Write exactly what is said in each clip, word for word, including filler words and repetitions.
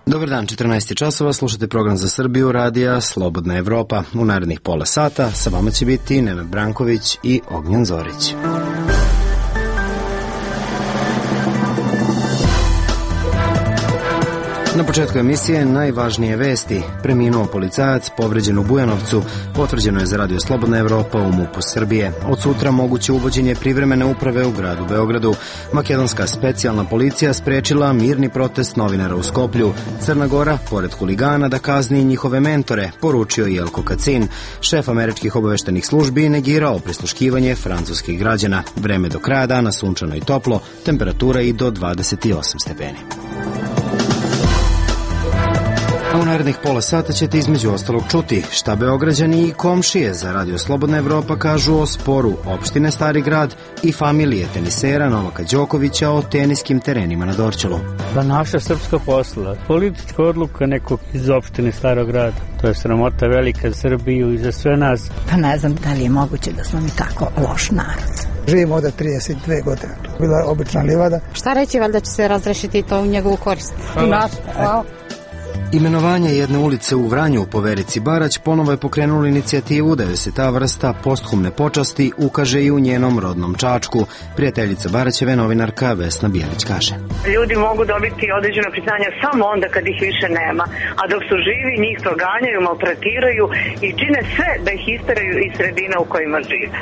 Dobar dan, četrnaest časova, slušate program za Srbiju, radija Slobodna Evropa. U narednih pola sata sa vama će biti Nenad Branković i Ognjen Zorić. Na početku emisije najvažnije vesti. Preminuo policajac, povređen u Bujanovcu, potvrđeno je za radio Slobodna Evropa u MUP-u Srbije. Od sutra moguće uvođenje privremene uprave u gradu Beogradu. Makedonska specijalna policija sprečila mirni protest novinara u Skoplju. Crna Gora, pored huligana, da kazni njihove mentore, poručio Jelko Kacin. Šef američkih obaveštenih službi negirao prisluškivanje francuskih građana. Vreme do kraja dana sunčano i toplo, temperatura i do dvadeset osam stepeni. A u narednih pola sata ćete između ostalog čuti šta Beograđani i komšije za radio Slobodna Evropa kažu o sporu opštine Stari grad i familije tenisera Novaka Đokovića o teniskim terenima na Dorćolu. Da naša srpska posla, politička odluka nekog iz opštine Starog grada. To je sramota velika za Srbiju i za sve nas. Pa ne znam da li je moguće da smo mi tako loš narod. Živimo ovde trideset dve godine. Bila je obična livada. Šta reći, valjda će se razrešiti to u njegovu korist? Hvala. Hvala. Imenovanje jedne ulice u Vranju po Verici Barać ponovo je pokrenulo inicijativu da joj se ta vrsta posthumne počasti ukaže i u njenom rodnom Čačku. Prijateljica Baraćeve, novinarka Vesna Bijelić, kaže: Ljudi mogu dobiti određeno priznanje samo onda kad ih više nema, a dok su živi njih proganjaju, maltretiraju i čine sve da ih isteraju iz sredina u kojima žive.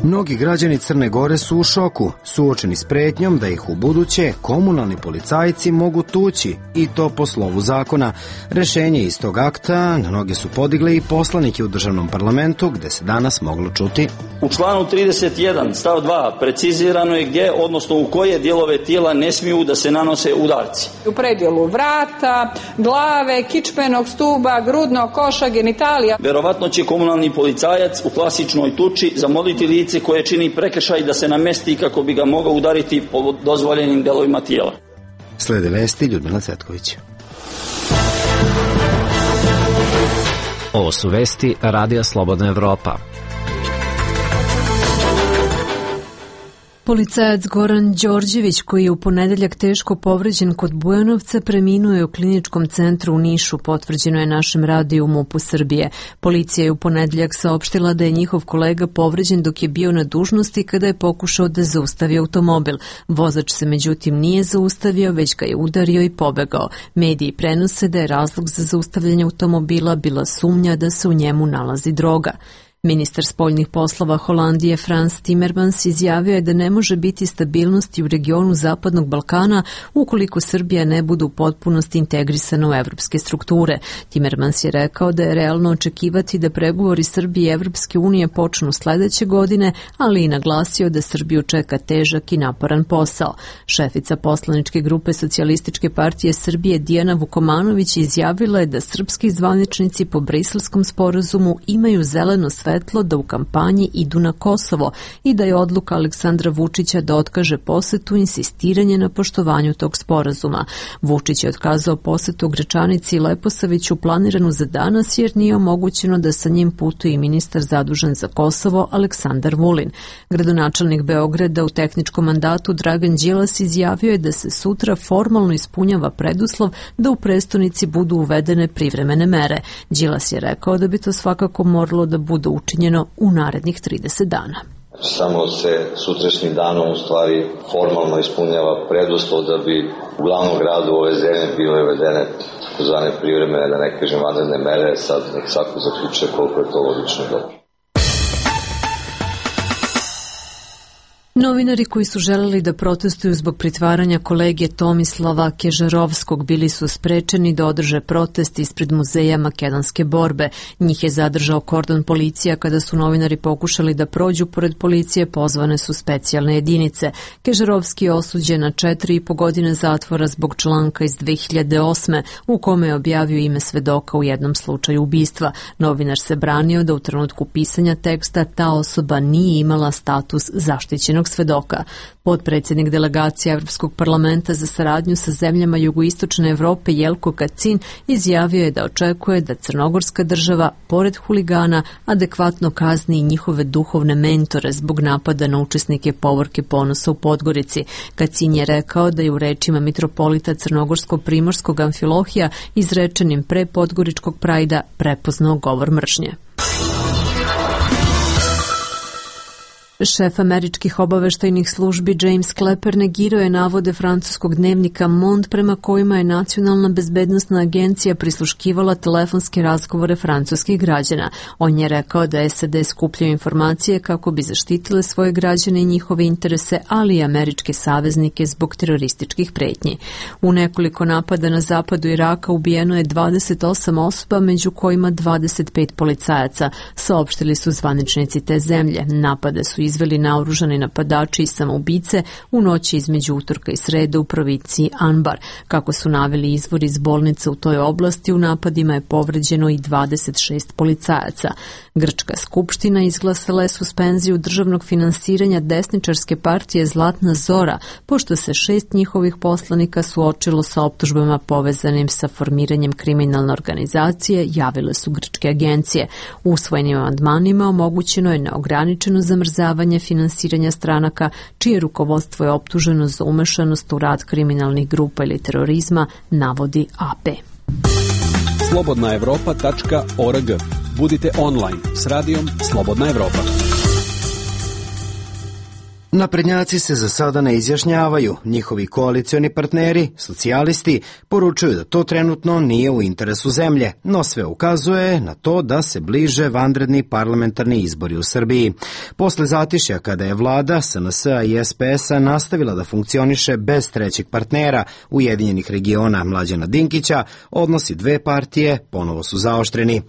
Mnogi građani Crne Gore su u šoku, suočeni s pretnjom da ih u buduće komunalni policajci mogu tući, i to po slovu zakona. Rešenje iz tog akta na noge su podigli i poslanike u državnom parlamentu, gde se danas moglo čuti: U članu trideset jedan stav dva precizirano je gdje, odnosno u koje dijelove tijela ne smiju da se nanose udarci. U predjelu vrata, glave, kičmenog stuba, grudnog koša, genitalija. Verovatno će komunalni policajac u klasičnoj tuči zamoliti lice koje čini prekršaj da se namesti kako bi ga mogao udariti po dozvoljenim delovima tijela. Slede vesti Ljudmila Cetković. Ovo su vesti radija Slobodna Evropa. Policajac Goran Đorđević, koji je u ponedeljak teško povređen kod Bujanovca, preminuo je u kliničkom centru u Nišu, potvrđeno je našem radiju MUP-u Srbije. Policija je u ponedeljak saopštila da je njihov kolega povređen dok je bio na dužnosti kada je pokušao da zaustavi automobil. Vozač se međutim nije zaustavio, već ga je udario i pobegao. Mediji prenose da je razlog za zaustavljanje automobila bila sumnja da se u njemu nalazi droga. Ministar spoljnih poslova Holandije Frans Timmermans izjavio je da ne može biti stabilnosti u regionu Zapadnog Balkana ukoliko Srbija ne bude u potpunosti integrisana u evropske strukture. Timmermans je rekao da je realno očekivati da pregovori Srbije i Evropske unije počnu sledeće godine, ali i naglasio da Srbiju čeka težak i naporan posao. Šefica poslaničke grupe Socijalističke partije Srbije Dijana Vukomanović izjavila je da srpski zvaničnici po Briselskom sporazumu imaju zeleno svetlo da u kampanji idu na Kosovo i da je odluka Aleksandra Vučića da otkaže posetu insistiranje na poštovanju tog sporazuma. Vučić je otkazao posetu Gračanici i Leposaviću planiranu za danas jer nije omogućeno da sa njim putuje i ministar zadužen za Kosovo Aleksandar Vulin. Gradonačelnik Beograda u tehničkom mandatu Dragan Đilas izjavio je da se sutra formalno ispunjava preduslov da u prestonici budu uvedene privremene mere. Đilas je rekao da bi to svakako moralo da bude učinjeno u narednih trideset dana. Samo se sutrašnjim danom u stvari formalno ispunjava preduslov da bi u glavnom gradu ove zemlje bile uvedene takozvane privremene, da ne kažem vanredne mere. Sad nek svako zaključuje koliko je to logično dobro. Novinari koji su želeli da protestuju zbog pritvaranja kolege Tomislava Kežarovskog bili su sprečeni da održe protest ispred muzeja makedonske borbe. Njih je zadržao kordon policija kada su novinari pokušali da prođu pored policije, pozvane su specijalne jedinice. Kežarovski je osuđen na četiri i po godine zatvora zbog članka iz dve hiljade osme u kome je objavio ime svedoka u jednom slučaju ubistva. Novinar se branio da u trenutku pisanja teksta ta osoba nije imala status zaštićenog jedinog svedoka. Potpredsjednik delegacije Evropskog parlamenta za saradnju sa zemljama jugoistočne Evrope Jelko Kacin izjavio je da očekuje da crnogorska država, pored huligana, adekvatno kazni i njihove duhovne mentore zbog napada na učesnike povorke Ponosa u Podgorici. Kacin je rekao da je u rečima mitropolita crnogorsko-primorskog Amfilohija izrečenim pre podgoričkog prajda prepoznao govor mržnje. Šef američkih obaveštajnih službi James Clapper negirao je navode francuskog dnevnika Monde prema kojima je Nacionalna bezbednosna agencija prisluškivala telefonske razgovore francuskih građana. On je rekao da S A D skupljaju informacije kako bi zaštitile svoje građane i njihove interese, ali i američke saveznike zbog terorističkih pretnji. U nekoliko napada na zapadu Iraka ubijeno je dvadeset osam osoba, među kojima dvadeset pet policajaca, saopštili su zvaničnici te zemlje. Napade su izveli naoružani napadači i samoubice u noći između utorka i srede u provinciji Anbar. Kako su naveli izvori iz bolnice u toj oblasti, u napadima je povređeno i dvadeset šest policajaca. Grčka skupština izglasala je suspenziju državnog finansiranja desničarske partije Zlatna Zora, pošto se šest njihovih poslanika suočilo sa optužbama povezanim sa formiranjem kriminalne organizacije, javile su grčke agencije. Usvojenim amandmanima omogućeno je neograničeno zamrzavanje finansiranja stranaka čije rukovodstvo je optuženo za umešanost u rad kriminalnih grupa ili terorizma, navodi A P. slobodna evropa tačka org. Budite online s radijom Slobodna Evropa. Naprednjaci se za sada ne izjašnjavaju. Njihovi koalicioni partneri, socijalisti, poručuju da to trenutno nije u interesu zemlje, no sve ukazuje na to da se bliže vanredni parlamentarni izbori u Srbiji. Posle zatišja kada je vlada S N S-a i S P S-a nastavila da funkcioniše bez trećeg partnera Ujedinjenih regiona Mlađana Dinkića, odnosi dve partije ponovo su zaoštreni.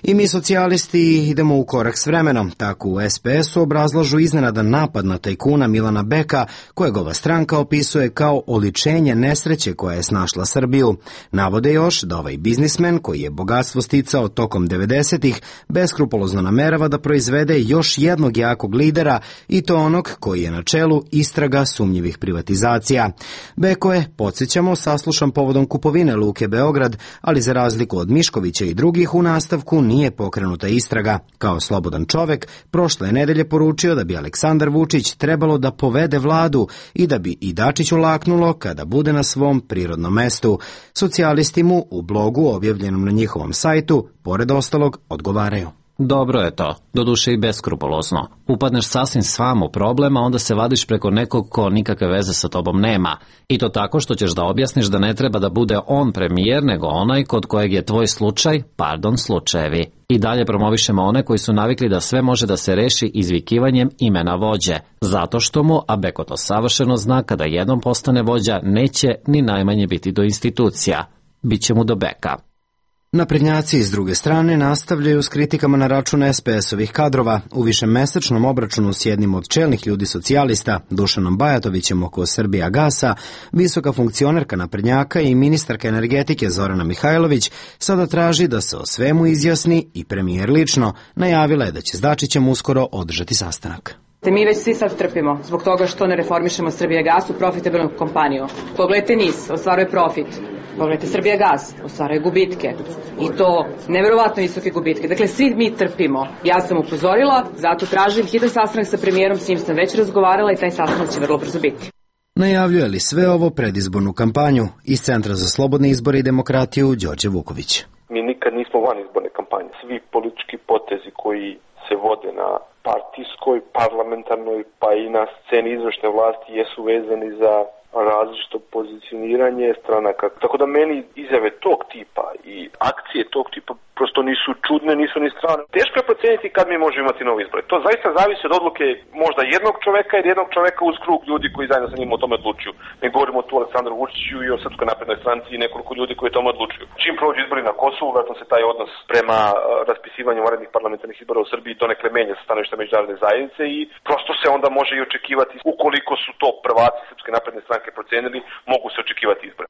I mi socijalisti idemo u korak s vremenom. Tako u S P S-u obrazlažu iznenada napad na tajkuna Milana Beka, kojeg ova stranka opisuje kao oličenje nesreće koja je snašla Srbiju. Navode još da ovaj biznismen, koji je bogatstvo sticao tokom devedesetih, beskrupulozno namerava da proizvede još jednog jakog lidera, i to onog koji je na čelu istraga sumnjivih privatizacija. Beko je, podsjećamo, saslušan povodom kupovine Luke Beograd, ali za razliku od Miškovića i drugih u nastavku nije pokrenuta istraga. Kao slobodan čovek, prošle nedelje poručio da bi Aleksandar Vučić trebalo da povede vladu i da bi i Dačiću laknulo kada bude na svom prirodnom mestu. Socijalisti mu u blogu objavljenom na njihovom sajtu, pored ostalog, odgovaraju. Dobro je to, doduše i beskrupulozno. Upadneš sasvim sam u problem, a onda se vadiš preko nekog ko nikakve veze sa tobom nema. I to tako što ćeš da objasniš da ne treba da bude on premijer, nego onaj kod kojeg je tvoj slučaj, pardon, slučajevi. I dalje promovišemo one koji su navikli da sve može da se reši izvikivanjem imena vođe. Zato što mu, a Beko to savršeno zna, kada jednom postane vođa, neće ni najmanje biti do institucija. Biće mu do Beka. Naprednjaci iz druge strane nastavljaju s kritikama na račun S P S-ovih kadrova. U višemesečnom obračunu s jednim od čelnih ljudi socijalista, Dušanom Bajatovićem oko Srbija gasa, visoka funkcionerka naprednjaka i ministarka energetike Zorana Mihajlović sada traži da se o svemu izjasni i premijer lično. Najavila je da će s Dačićem uskoro održati sastanak. Mi već svi sad trpimo zbog toga što ne reformišemo Srbijagas u profitabilnu kompaniju. Pogledajte N I S, ostvaruje profit. Pogledajte Srbijagas, ostvaruje gubitke. I to neverovatno visoke gubitke. Dakle, svi mi trpimo. Ja sam upozorila, zato tražim hitan sastanak sa premijerom, s njim sam već razgovarala i taj sastanak će vrlo brzo biti. Najavljuje li sve ovo predizbornu kampanju? Iz Centra za slobodne izbore i demokratiju, Đorđe Vuković. Mi nikad nismo van izborne kampanje. Svi politički potezi koji se vode na partijskoj, parlamentarnoj, pa i na sceni izvršne vlasti jesu vezani za različito pozicioniranje stranaka. Tako da meni izjave tog tipa i akcije tog tipa prosto nisu čudne, nisu ni strane. Teško je proceniti kad mi možemo imati novi izbor. To zaista zavisi od odluke možda jednog čoveka ili jednog čoveka uz krug ljudi koji zajedno sa njim o tome odlučuju. Ne govorimo tu o Aleksandru Vučiću i o Srpskoj naprednoj stranci i nekoliko ljudi koji o tome odlučuju. Čim prođu izbori na Kosovu, vratno se taj odnos prema raspisivanju vanrednih parlamentarnih izbora u Srbiji to nekle menja sa stanovišta međunarodne zajednice i prosto se onda može i očekivati, ukoliko su to prvaci Srpske napredne stranke procenili, mogu se očekivati izbore.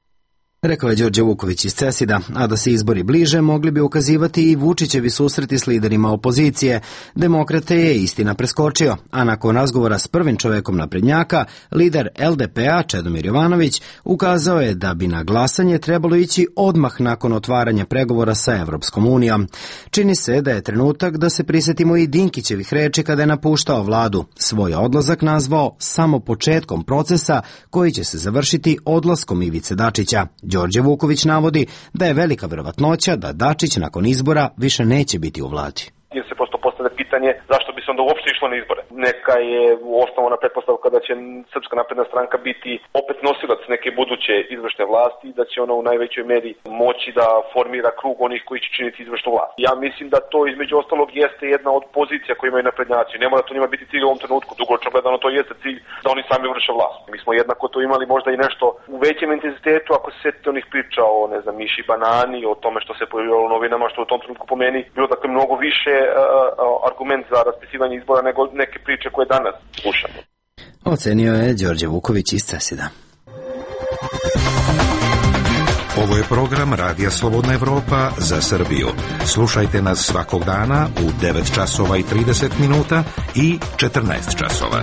Rekao je Đorđe Vuković iz CESID-a, a da se izbori bliže mogli bi ukazivati i Vučićevi susreti s liderima opozicije. Demokrate je istina preskočio, a nakon razgovora s prvim čovekom naprednjaka, lider L D P-a Čedomir Jovanović ukazao je da bi na glasanje trebalo ići odmah nakon otvaranja pregovora sa Evropskom unijom. Čini se da je trenutak da se prisetimo i Dinkićevih reči kada je napuštao vladu. Svoj odlazak nazvao samo početkom procesa koji će se završiti odlaskom Ivice Dačića. Đorđe Vuković navodi da je velika verovatnoća da Dačić nakon izbora više neće biti u vladi. Jer se prosto postavlja pitanje zašto bi se onda uopšte išlo na izbore. Neka je osnovna pretpostavka da će Srpska napredna stranka biti opet nosilac neke buduće izvršne vlasti i da će ona u najvećoj meri moći da formira krug onih koji će činiti izvršnu vlast. Ja mislim da to između ostalog jeste jedna od pozicija koje imaju naprednjaci. Ne mora to njima biti cilj u ovom trenutku, dugoročno gledano to jeste cilj da oni sami vrše vlast. Mi smo jednako to imali možda i nešto u većem intenzitetu ako se setite onih priča o, ne znam, miši banani, o tome što se pojavilo u novinama, što u tom trenutku po meni bilo dakle mnogo više argument za raspisivanje izbora nego neke priče koje danas slušamo. Ocenio je Đorđe Vuković iz CESID-a. Ovo je program Radija Slobodna Evropa za Srbiju. Slušajte nas svakog dana u devet časova i trideset minuta i četrnaest časova.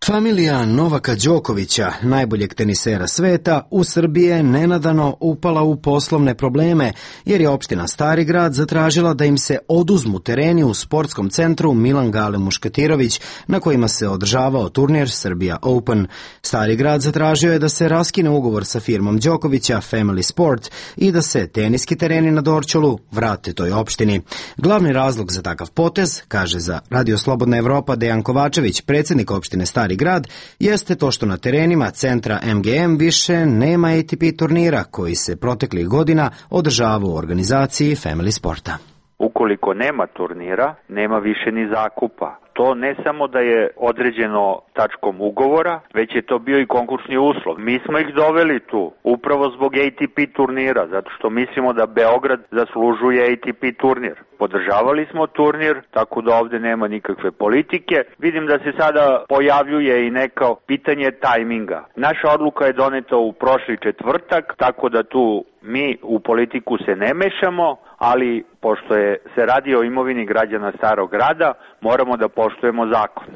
Familija Novaka Đokovića, najboljeg tenisera sveta, u Srbiji je nenadano upala u poslovne probleme, jer je opština Stari Grad zatražila da im se oduzmu tereni u sportskom centru Milan Gale Muškatirović, na kojima se održavao turnir Serbia Open. Stari Grad zatražio je da se raskine ugovor sa firmom Đokovića Family Sport i da se teniski tereni na Dorćolu vrate toj opštini. Glavni razlog za takav potez, kaže za Radio Slobodna Evropa Dejan Kovačević, predsjednik opštine Stari Grad, jeste to što na terenima centra M G M više nema A T P turnira koji se proteklih godina održavao u organizaciji Family Sporta. Ukoliko nema turnira, nema više ni zakupa. To ne samo da je određeno tačkom ugovora, već je to bio i konkursni uslov. Mi smo ih doveli tu upravo zbog A T P turnira, zato što mislimo da Beograd zaslužuje A T P turnir. Podržavali smo turnir, tako da ovde nema nikakve politike. Vidim da se sada pojavljuje i neko pitanje tajminga. Naša odluka je doneta u prošli četvrtak, tako da tu mi u politiku se ne mešamo, ali pošto je, se radi o imovini građana Starog Grada, moramo da poštujemo zakon.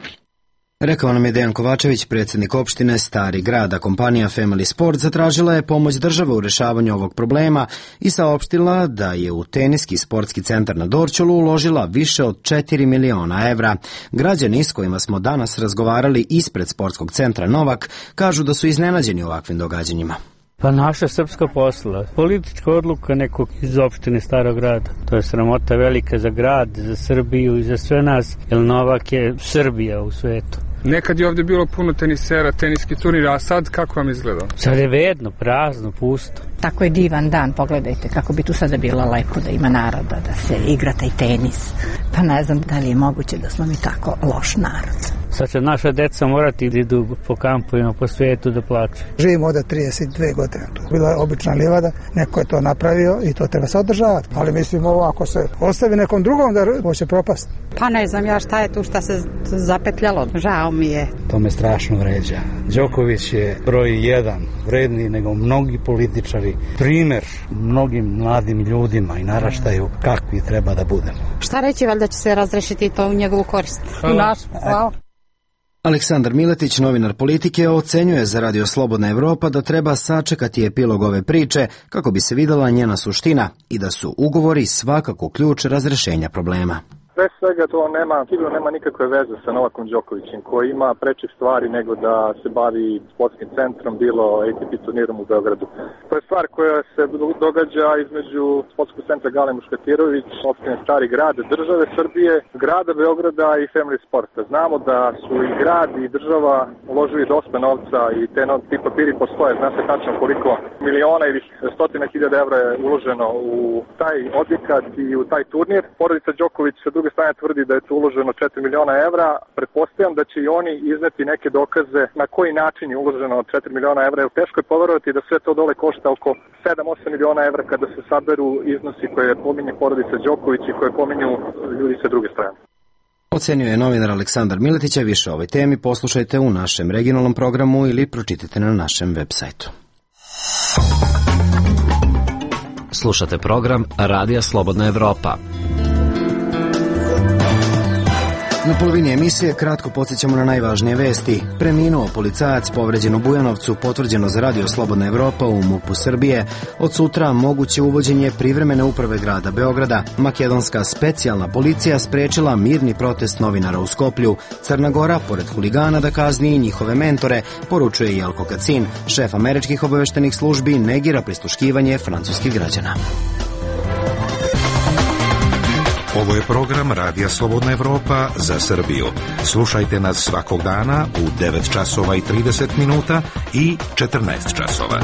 Rekao nam je Dejan Kovačević, predsjednik opštine Stari Grad, a kompanija Family Sport zatražila je pomoć države u rešavanju ovog problema i saopštila da je u teniski sportski centar na Dorćolu uložila više od četiri miliona evra. Građani s kojima smo danas razgovarali ispred sportskog centra Novak kažu da su iznenađeni ovakvim događanjima. Pa naša srpska posla, politička odluka nekog iz opštine Starog Grada. To je sramota velika za grad, za Srbiju i za sve nas, jer Novak je Srbija u svetu. Nekad je ovdje bilo puno tenisera, teniski turnir, a sad kako vam izgleda? Sad je vedno, prazno, pusto. Tako je divan dan, pogledajte kako bi tu sada bilo lepo da ima naroda, da se igra taj tenis. Pa ne znam da li je moguće da smo mi tako loš narod. Sad će naša deca morati da idu po kampovima, po svijetu da plaću. Živimo ovdje trideset dve godine. Bila je obična livada, neko je to napravio i to treba se održavati. Ali mislim ovo ako se ostavi nekom drugom da ovo će propasti. Pa ne znam ja šta je tu šta se zapetljalo. Žao mi je. To me strašno vređa. Đoković je broj jedan, vredniji nego mnogi političari. Primer mnogim mladim ljudima i naraštaju kakvi treba da budemo. Šta reći, valjda će se razrešiti to u njegovu korist. U naš, hvala. Aleksandar Miletić, novinar politike, ocenjuje za Radio Slobodna Evropa da treba sačekati epilog ove priče kako bi se videla njena suština i da su ugovori svakako ključ razrešenja problema. Pre svega to nema, sigurno nema nikakve veze sa Novakom Đokovićem koji ima prečih stvari nego da se bavi sportskim centrom, bilo A T P turnirom u Beogradu. To je stvar koja se događa između sportskog centra Gale Muškatirović, opštine Stari Grad, države Srbije, grada Beograda i Family Sporta. Znamo da su i grad i država uložili dosta novca i te no, ti papiri postoje. Zna se tačno koliko miliona ili stotina hiljada evra je uloženo u taj objekat i u taj turnir. Porodica Đoković sa druge strane tvrdi da je tu uloženo četiri miliona evra. Pretpostavljam da će i oni izneti neke dokaze na koji način je uloženo četiri miliona evra. Jer teško je poverovati da sve to dole košta oko sedam do osam miliona evra kada se saberu iznosi koje pominje porodica Đoković i koje pominju ljudi sa druge strane. ocenio je novinar Aleksandar Miletić, a više o ovoj temi poslušajte u našem regionalnom programu ili pročitajte na našem web sajtu. Slušate program Radija Slobodna Evropa. Na polovini emisije kratko podsjećamo na najvažnije vesti. Preminuo policajac povređen u Bujanovcu, potvrđeno za Radio Slobodna Evropa u MUP-u Srbije. Od sutra moguće uvođenje privremene uprave grada Beograda. Makedonska specijalna policija sprečila mirni protest novinara u Skoplju. Crna Gora, pored huligana, da kazni i njihove mentore, poručuje Jelko Kacin. Šef američkih obaveštenih službi negira prisluškivanje francuskih građana. Ovo je program Radija Slobodna Evropa za Srbiju. Slušajte nas svakog dana u devet časova i trideset minuta i četrnaest časova.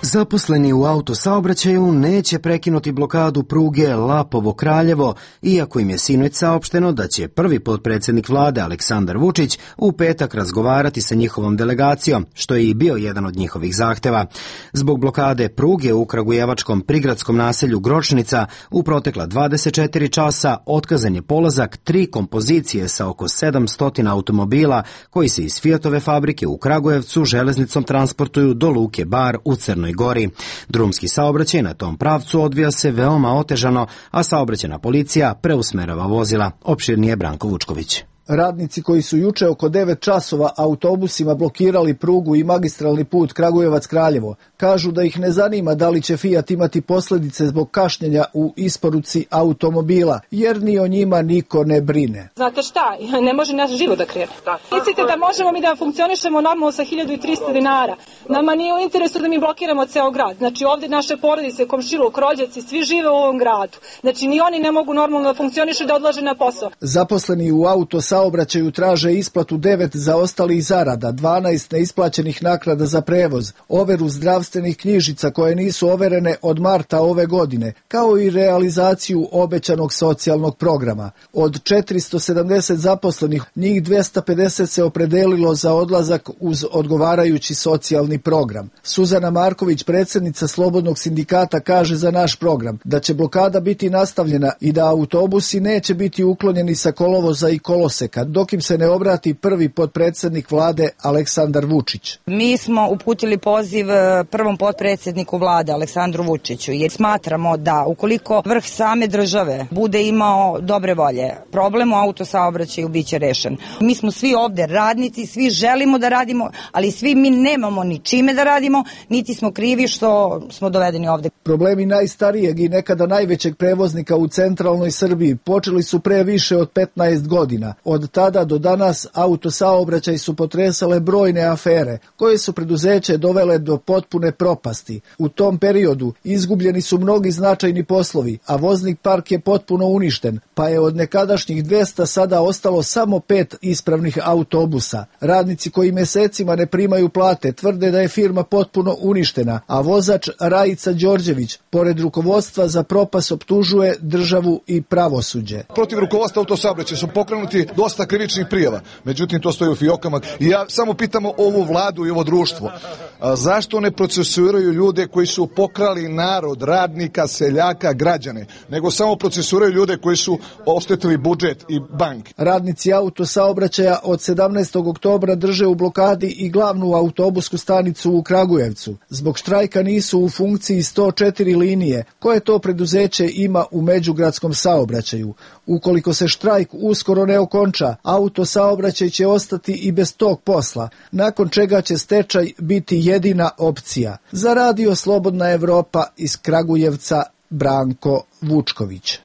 Zaposleni u autosaobraćaju neće prekinuti blokadu pruge Lapovo-Kraljevo, iako im je sinoć saopšteno da će prvi potpredsednik vlade Aleksandar Vučić u petak razgovarati sa njihovom delegacijom, što je i bio jedan od njihovih zahteva. Zbog blokade pruge u kragujevačkom prigradskom naselju Gročnica u protekla dvadeset četiri časa otkazan je polazak tri kompozicije sa oko sedamsto automobila koji se iz Fiatove fabrike u Kragujevcu železnicom transportuju do luke Bar u Crnoj Gori. Drumski saobraćaj na tom pravcu odvija se veoma otežano, a saobraćajna policija preusmerava vozila. Opširnije Branko Vučković. Radnici koji su juče oko devet časova autobusima blokirali prugu i magistralni put Kragujevac-Kraljevo kažu da ih ne zanima da li će Fiat imati posljedice zbog kašnjenja u isporuci automobila, jer ni o njima niko ne brine. Znate šta, ne može naš život da krene. Mislite da možemo mi da funkcionišemo normalno sa hiljadu i trista dinara. Nama nije u interesu da mi blokiramo ceo grad. Znači ovdje naše porodice, komšiluk, rođaci, svi žive u ovom gradu. Znači ni oni ne mogu normalno da funkcionišu da odlaže na posao. Zaposleni u auto saobraćaju traže isplatu devet zaostalih zarada, dvanaest neisplaćenih naknada za prevoz, overu zdravstvenih knjižica koje nisu overene od marta ove godine, kao i realizaciju obećanog socijalnog programa. Od četiristo sedamdeset zaposlenih, njih dvesta pedeset se opredelilo za odlazak uz odgovarajući socijalni program. Suzana Marković, predsjednica Slobodnog sindikata, kaže za naš program da će blokada biti nastavljena i da autobusi neće biti uklonjeni sa kolovoza i koloseka, dok im se ne obrati prvi potpredsjednik vlade Aleksandar Vučić. Mi smo uputili poziv prvom potpredsjedniku vlade Aleksandru Vučiću jer smatramo da ukoliko vrh same države bude imao dobre volje, problem u autosaobraćaju biće rešen. Mi smo svi ovde radnici, svi želimo da radimo, ali svi mi nemamo ni čime da radimo, niti smo krivi što smo dovedeni ovde. Problemi najstarijeg i nekada najvećeg prevoznika u centralnoj Srbiji počeli su pre više od petnaest godina. Od tada do danas autosaobraćaj su potresale brojne afere, koje su preduzeće dovele do potpune propasti. U tom periodu izgubljeni su mnogi značajni poslovi, a voznik park je potpuno uništen, pa je od nekadašnjih dvesta sada ostalo samo pet ispravnih autobusa. Radnici koji mesecima ne primaju plate tvrde da je firma potpuno uništena, a vozač Rajica Đorđević, pored rukovodstva za propast, optužuje državu i pravosuđe. Protiv rukovodstva autosaobraćaja su pokrenuti dosta krivičnih prijava, međutim to stoji u fijokama. I ja samo pitamo ovu vladu i ovo društvo, a zašto ne procesuiraju ljude koji su pokrali narod, radnika, seljaka, građane, nego samo procesuiraju ljude koji su oštetili budžet i banke. Radnici autosaobraćaja od sedamnaestog oktobra drže u blokadi i glavnu autobusku stanicu u Kragujevcu. Zbog štrajka nisu u funkciji sto četiri linije, koje to preduzeće ima u međugradskom saobraćaju. Ukoliko se štrajk uskoro ne okonča, autosaobraćaj će ostati i bez tog posla, nakon čega će stečaj biti jedina opcija. Za Radio Slobodna Evropa iz Kragujevca, Branko Vučković.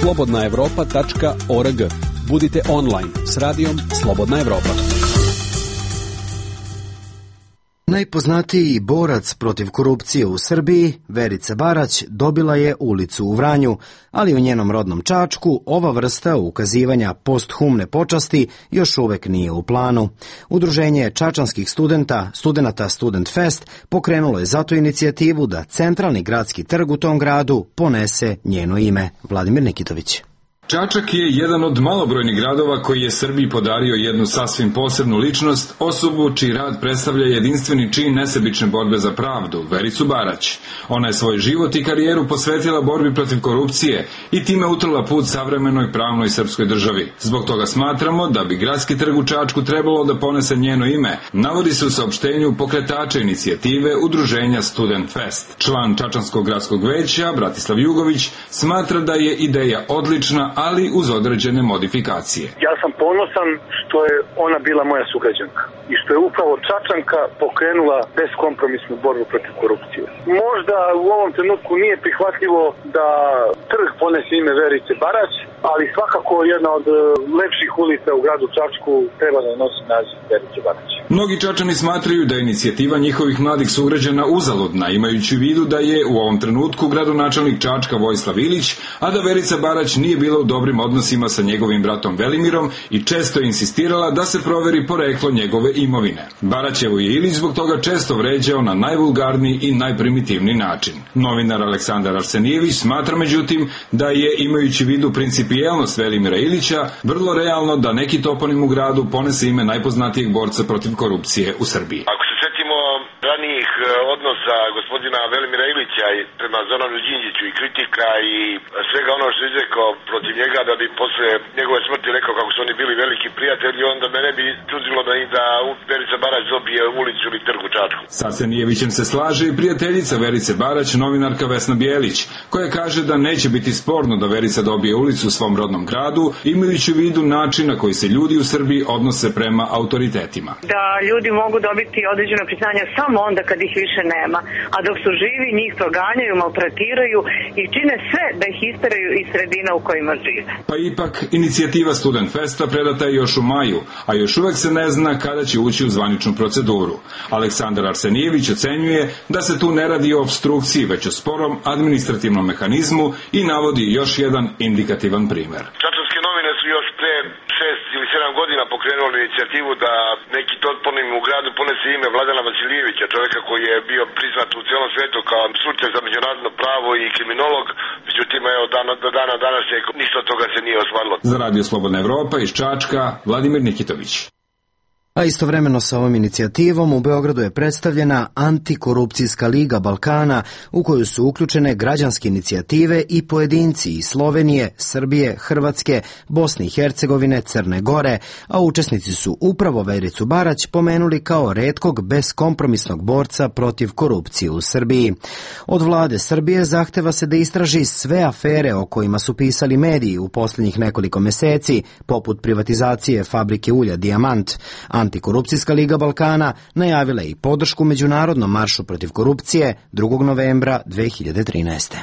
slobodna evropa tačka org. Budite online s radijom Slobodna Evropa. Najpoznatiji borac protiv korupcije u Srbiji, Verica Barać, dobila je ulicu u Vranju, ali u njenom rodnom Čačku ova vrsta ukazivanja posthumne počasti još uvek nije u planu. Udruženje čačanskih studenta, studenata Student Fest, pokrenulo je zato inicijativu da centralni gradski trg u tom gradu ponese njeno ime. Vladimir Nikitović. Čačak je jedan od malobrojnih gradova koji je Srbiji podario jednu sasvim posebnu ličnost, osobu čiji rad predstavlja jedinstveni čin nesebične borbe za pravdu, Vericu Barać. Ona je svoj život i karijeru posvetila borbi protiv korupcije i time utrla put savremenoj pravnoj srpskoj državi. Zbog toga smatramo da bi gradski trg u Čačku trebalo da ponese njeno ime, navodi se u saopštenju pokretača inicijative Udruženja Student Fest. Član Čačanskog gradskog veća, Bratislav Jugović, smatra da je ideja odlična, ali uz određene modifikacije. Ja sam ponosan što je ona bila moja sugrađanka i što je upravo Čačanka pokrenula beskompromisnu borbu protiv korupcije. Možda u ovom trenutku nije prihvatljivo da trg ponese ime Verice Barać, ali svakako jedna od lepših ulica u gradu Čačku treba da nosi naziv Verice Barać. Mnogi Čačani smatraju da je inicijativa njihovih mladih sugrađana uzaludna, imajući u vidu da je u ovom trenutku gradonačelnik Čačka Vojislav Ilić, a da Verica Barać nije bila u dobrim odnosima sa njegovim bratom Velimirom i često je insistirala da se proveri poreklo njegove imovine. Baraćevo je Ilić zbog toga često vređao na najvulgarniji i najprimitivniji način. Novinar Aleksandar Arsenijević smatra međutim da je, imajući u vidu principijelnost Velimira Ilića, vrlo realno da neki toponim u gradu ponese ime najpoznatijeg borca protiv korupcije u Srbiji. Ako se setimo ranijih odnosa gospodina Velimira Ilića prema Zoranu Đinđiću i kritika i svega ono što je izrekao protiv njega, da bi posle njegove smrti rekao kako su oni bili veliki prijatelji, onda me ne bi čudilo da, da Verica Barać dobije ulicu ili trg u Čačku. Sa Arsenijevićem se slaže i prijateljica Verice Barać, novinarka Vesna Bijelić, koja kaže da neće biti sporno da Verica dobije ulicu u svom rodnom gradu, imajući u vidu način na koji se ljudi u Srbiji odnose prema autoritetima. Da ljudi mogu dobiti određeno priznanje samo onda kad ih više nema, a dok su živi njih proganjaju, maltretiraju i čine sve da ih isteraju iz sredina u kojima žive. Pa ipak, inicijativa Student Festa predata je još u maju, a još uvek se ne zna kada će ući u zvaničnu proceduru. Aleksandar Arsenijević ocenjuje da se tu ne radi o obstrukciji, već o sporom administrativnom mehanizmu i navodi još jedan indikativan primer. Čačanske novine su još pre šest ili sedam godina pokrenuli inicijativu da neki toponim u gradu ponese ime Vladana Vasilijevića, čoveka koji je bio priznat u celom svetu kao stručnjak za međunarodno pravo i kriminolog, međutim evo dana, do dana danas je ništa od toga se nije ostvarilo. Za Radio Slobodna Evropa iz Čačka, Vladimir Nikitović. A istovremeno sa ovom inicijativom u Beogradu je predstavljena Antikorupcijska liga Balkana, u koju su uključene građanske inicijative i pojedinci iz Slovenije, Srbije, Hrvatske, Bosne i Hercegovine, Crne Gore, a učesnici su upravo Vericu Barać pomenuli kao retkog beskompromisnog borca protiv korupcije u Srbiji. Od vlade Srbije zahteva se da istraži sve afere o kojima su pisali mediji u posljednjih nekoliko meseci, poput privatizacije fabrike ulja Dijamant. Antikorupcijska liga Balkana najavila je i podršku međunarodnom maršu protiv korupcije drugog novembra dve hiljade trinaeste.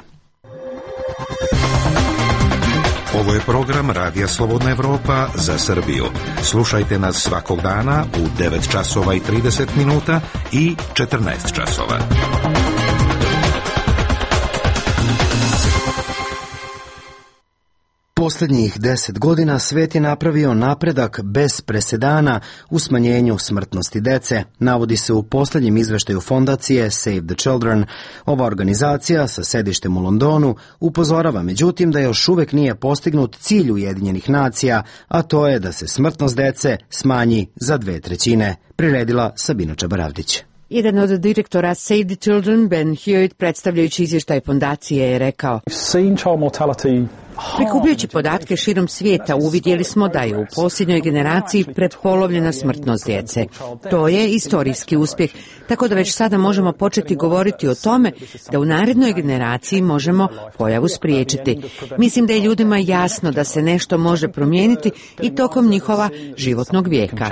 Ovo je program Radija Slobodna Evropa za Srbiju. Slušajte nas svakog dana u devet časova i trideset minuta i četrnaest časova. Posljednjih deset godina svet je napravio napredak bez presedana u smanjenju smrtnosti dece, navodi se u posljednjem izveštaju fondacije Save the Children. Ova organizacija sa sedištem u Londonu upozorava međutim da još uvek nije postignut cilj Ujedinjenih nacija, a to je da se smrtnost dece smanji za dve trećine. Priredila Sabina Čabaravdić. Jedan od direktora Save the Children, Ben Hewitt, predstavljajući izvještaj fondacije, je rekao: prikupljajući podatke širom svijeta, uvidjeli smo da je u posljednjoj generaciji prepolovljena smrtnost djece. To je istorijski uspjeh, tako da već sada možemo početi govoriti o tome da u narednoj generaciji možemo pojavu spriječiti. Mislim da je ljudima jasno da se nešto može promijeniti i tokom njihova životnog vijeka.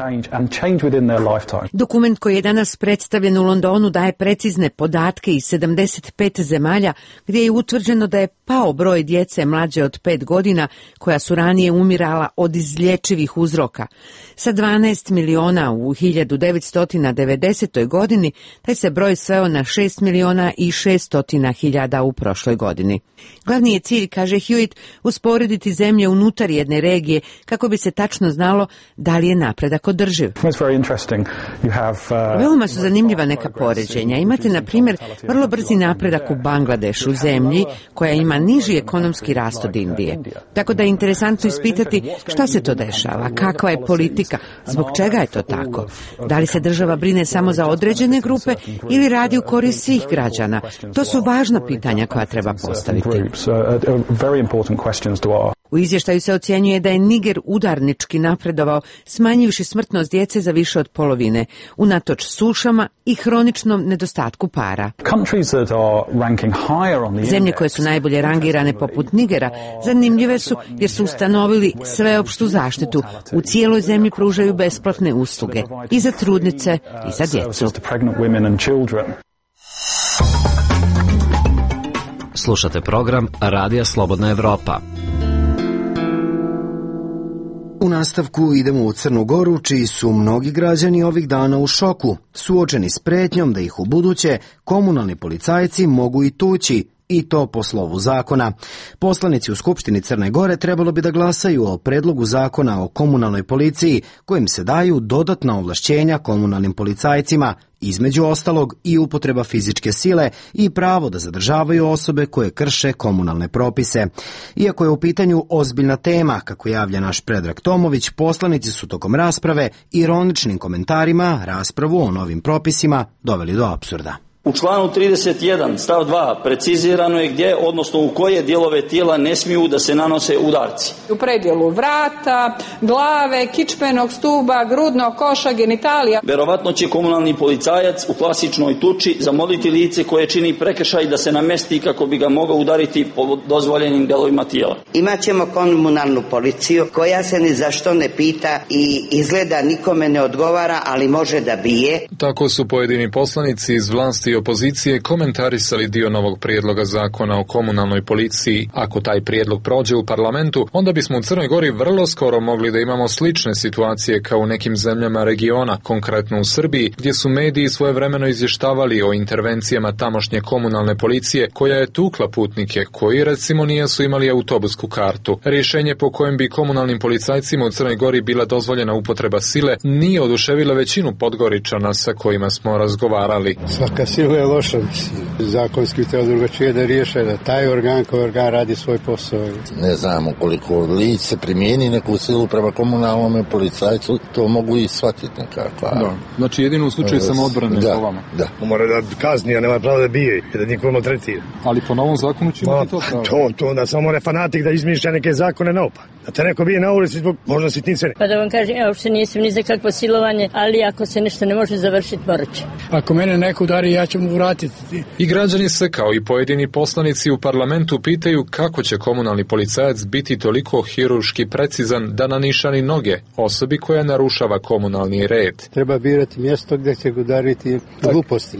Dokument koji je danas predstavljen u Londonu daje precizne podatke iz sedamdeset pet zemalja gdje je utvrđeno da je pao broj djece mlađe od pet godina koja su ranije umirala od izlječivih uzroka. Sa dvanaest miliona u hiljadu devetsto devedesetoj godini godini, taj se broj sveo na šest miliona i šeststotina hiljada u prošloj godini. Glavni je cilj, kaže Hewitt, usporediti zemlje unutar jedne regije kako bi se tačno znalo da li je napredak održiv. Veoma su zanimljiva neka poređenja. Imate, na primjer, vrlo brzi napredak u Bangladešu, zemlji koja ima niži ekonomski rast od Indije. Tako da je interesantno ispitati šta se to dešava, kakva je politika, zbog čega je to tako. Da li se država brine samo za određene grupe ili radi u korist svih građana? To su važna pitanja koja treba postaviti. U izvještaju se ocjenjuje da je Niger udarnički napredovao, smanjivši smrtnost djece za više od polovine, unatoč sušama i hroničnom nedostatku para. Zemlje koje su najbolje rangirane poput Nigera zanimljive su jer su ustanovili sveopštu zaštitu. U cijeloj zemlji pružaju besplatne usluge i za trudnice i za djecu. Slušate program Radija Slobodna Evropa. U nastavku idemo u Crnu Goru, čiji su mnogi građani ovih dana u šoku, suočeni s pretnjom da ih u buduće komunalni policajci mogu i tući, i to po slovu zakona. Poslanici u Skupštini Crne Gore trebalo bi da glasaju o predlogu zakona o komunalnoj policiji, kojim se daju dodatna ovlašćenja komunalnim policajcima, između ostalog i upotreba fizičke sile i pravo da zadržavaju osobe koje krše komunalne propise. Iako je u pitanju ozbiljna tema, kako javlja naš Predrag Tomović, poslanici su tokom rasprave ironičnim komentarima raspravu o novim propisima doveli do apsurda. U članu trideset jedan stav dva precizirano je gdje, odnosno u koje dijelove tijela ne smiju da se nanose udarci. U predjelu vrata, glave, kičmenog stuba, grudnog koša, genitalija. Verovatno će komunalni policajac u klasičnoj tuči zamoliti lice koje čini prekršaj da se namesti kako bi ga mogao udariti po dozvoljenim delovima tijela. Imaćemo komunalnu policiju koja se ni zašto ne pita i izgleda nikome ne odgovara, ali može da bije. Tako su pojedini poslanici iz vlasti i opozicije komentarisali dio novog prijedloga zakona o komunalnoj policiji. Ako taj prijedlog prođe u parlamentu, onda bismo u Crnoj Gori vrlo skoro mogli da imamo slične situacije kao u nekim zemljama regiona, konkretno u Srbiji, gdje su mediji svojevremeno izvještavali o intervencijama tamošnje komunalne policije koja je tukla putnike koji recimo nisu imali autobusku kartu. Rješenje po kojem bi komunalnim policajcima u Crnoj Gori bila dozvoljena upotreba sile nije oduševila većinu Podgoričana sa kojima smo razgovarali. Svaka sila je loša, mislim. Zakonski treba drugačije da riješe, da taj organ koji organ radi svoj posao. Ne znam, ukoliko lice primijeni neku silu prema komunalnom policajcu, to mogu i shvatiti nekako. Da. Znači jedino u slučaju samoodbrane da, po vama. Da. Mora da kazni, a nema pravo da bije i da niko maltretira. Ali po novom zakonu će imati to pravo. To, to onda samo ne fanatik da izmišlja neke zakone naopak. Da te neko bije na ulici zbog možda sitnice. Pa da vam kažem, ja uopšte nisam ni za kakvo silovanje, ali ako se nešto ne može završiti, morat će. Ako mene neko udari, ja ću mu vratiti. I građani se, kao i pojedini poslanici u parlamentu, pitaju kako će komunalni policajac biti toliko hirurški precizan da nanišani noge osobi koja narušava komunalni red. Treba birati mjesto gdje će ga udariti gluposti.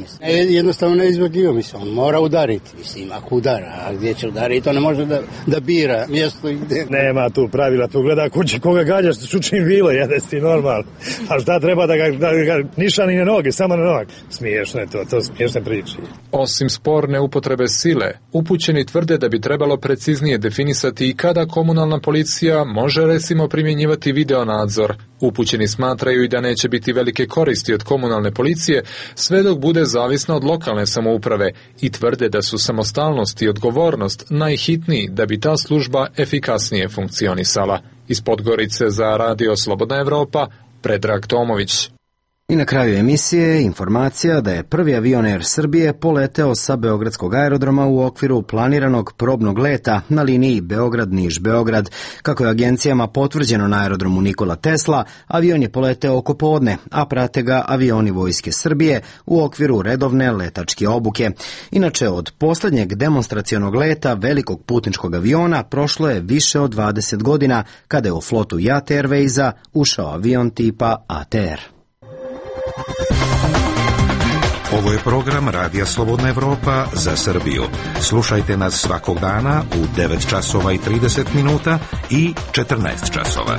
Jednostavno ne izvagljivo, mislim, on mora udariti, mislim, ako udara, a gdje će udariti, to ne može da, da bira mjesto i gdje. Nema tu pravila, tu gleda kući koga gađaš, sučim vilo, jedeš ti normalno. A šta treba da ga, da ga nišani na noge, samo na nog? Smiješno je to, to smiješne priče. Osim sporne upotrebe sile, upućeni tvrde da bi trebalo preciznije definisati i kada komunalna policija može recimo primjenjivati video nadzor. Upućeni smatraju i da neće biti velike koristi od komunalne policije sve dok bude zavisna od lokalne samouprave i tvrde da su samostalnost i odgovornost najhitniji da bi ta služba efikasnije funkcionisala. Iz Podgorice za Radio Slobodna Evropa, Predrag Tomović. I na kraju emisije informacija da je prvi avion Air Srbije poleteo sa Beogradskog aerodroma u okviru planiranog probnog leta na liniji Beograd-Niš-Beograd. Kako je agencijama potvrđeno na aerodromu Nikola Tesla, avion je poleteo oko podne, a prate ga avioni Vojske Srbije u okviru redovne letačke obuke. Inače, od poslednjeg demonstracionog leta velikog putničkog aviona prošlo je više od dvadeset godina, kada je u flotu Jat Airwaysa ušao avion tipa A T R. Ovo je program Radija Slobodna Evropa za Srbiju. Slušajte nas svakog dana u devet časova i trideset minuta i četrnaest časova.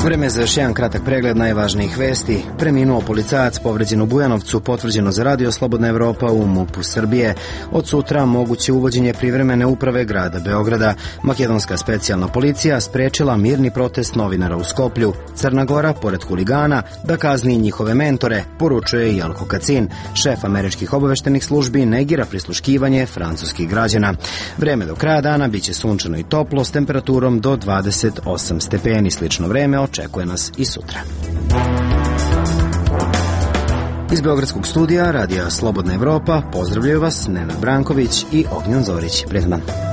Vreme za još jedan kratak pregled najvažnijih vesti. Preminuo policajac povređen u Bujanovcu, potvrđeno za radio Slobodna Evropa u MUP-u Srbije. Od sutra moguće uvođenje privremene uprave grada Beograda. Makedonska specijalna policija sprečila mirni protest novinara u Skoplju. Crna Gora, pored huligana, da kazni njihove mentore, poručuje Jelko Kacin. Šef američkih obaveštenih službi negira prisluškivanje francuskih građana. Vreme do kraja dana biće sunčano i toplo s temperaturom do dvadeset osam stepeni. Slično vreme očekuje nas i sutra. Iz Beogradskog studija radija Slobodna Evropa pozdravljaju vas Nenad Branković i Ognjan Zorić. Prijetan dan.